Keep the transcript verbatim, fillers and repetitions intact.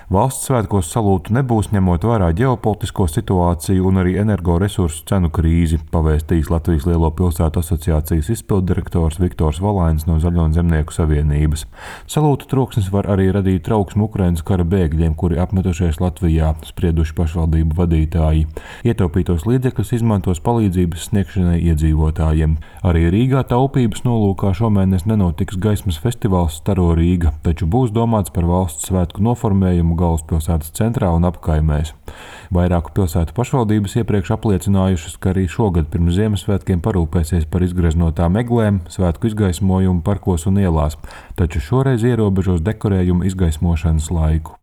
Valsts svētkos salūtu nebūs, ņemot vērā ģeopolitisko situāciju un arī energoresursu cenu krīzi, pavēstījis Latvijas Lielo pilsētu asociācijas izpilddirektors Viktors Valains no Zaļo un Zemnieku savienības. Salūtu troksnis var arī radīt trauksmu Ukrainas kara bēgļiem, kuri apmetušies Latvijā, sprieduši pašvaldību vadītāji. Ietaupītos līdzekļus izmantos palīdzības sniegšanai iedzīvotājiem. Arī Rīgā taupības nolūkā šomēnes nenotiks gaismas festivāls Staro Rīga, taču būs domāts par valsts svētku noformējumu galvaspilsētas centrā un apkaimēs. Vairāku pilsētu pašvaldības iepriekš apliecinājušas, ka arī šogad pirms Ziemassvētkiem parūpēsies par izgreznotām eglēm, svētku izgaismojumu parkos un ielās, taču šoreiz ierobežos dekorējumu izgaismošanas laiku.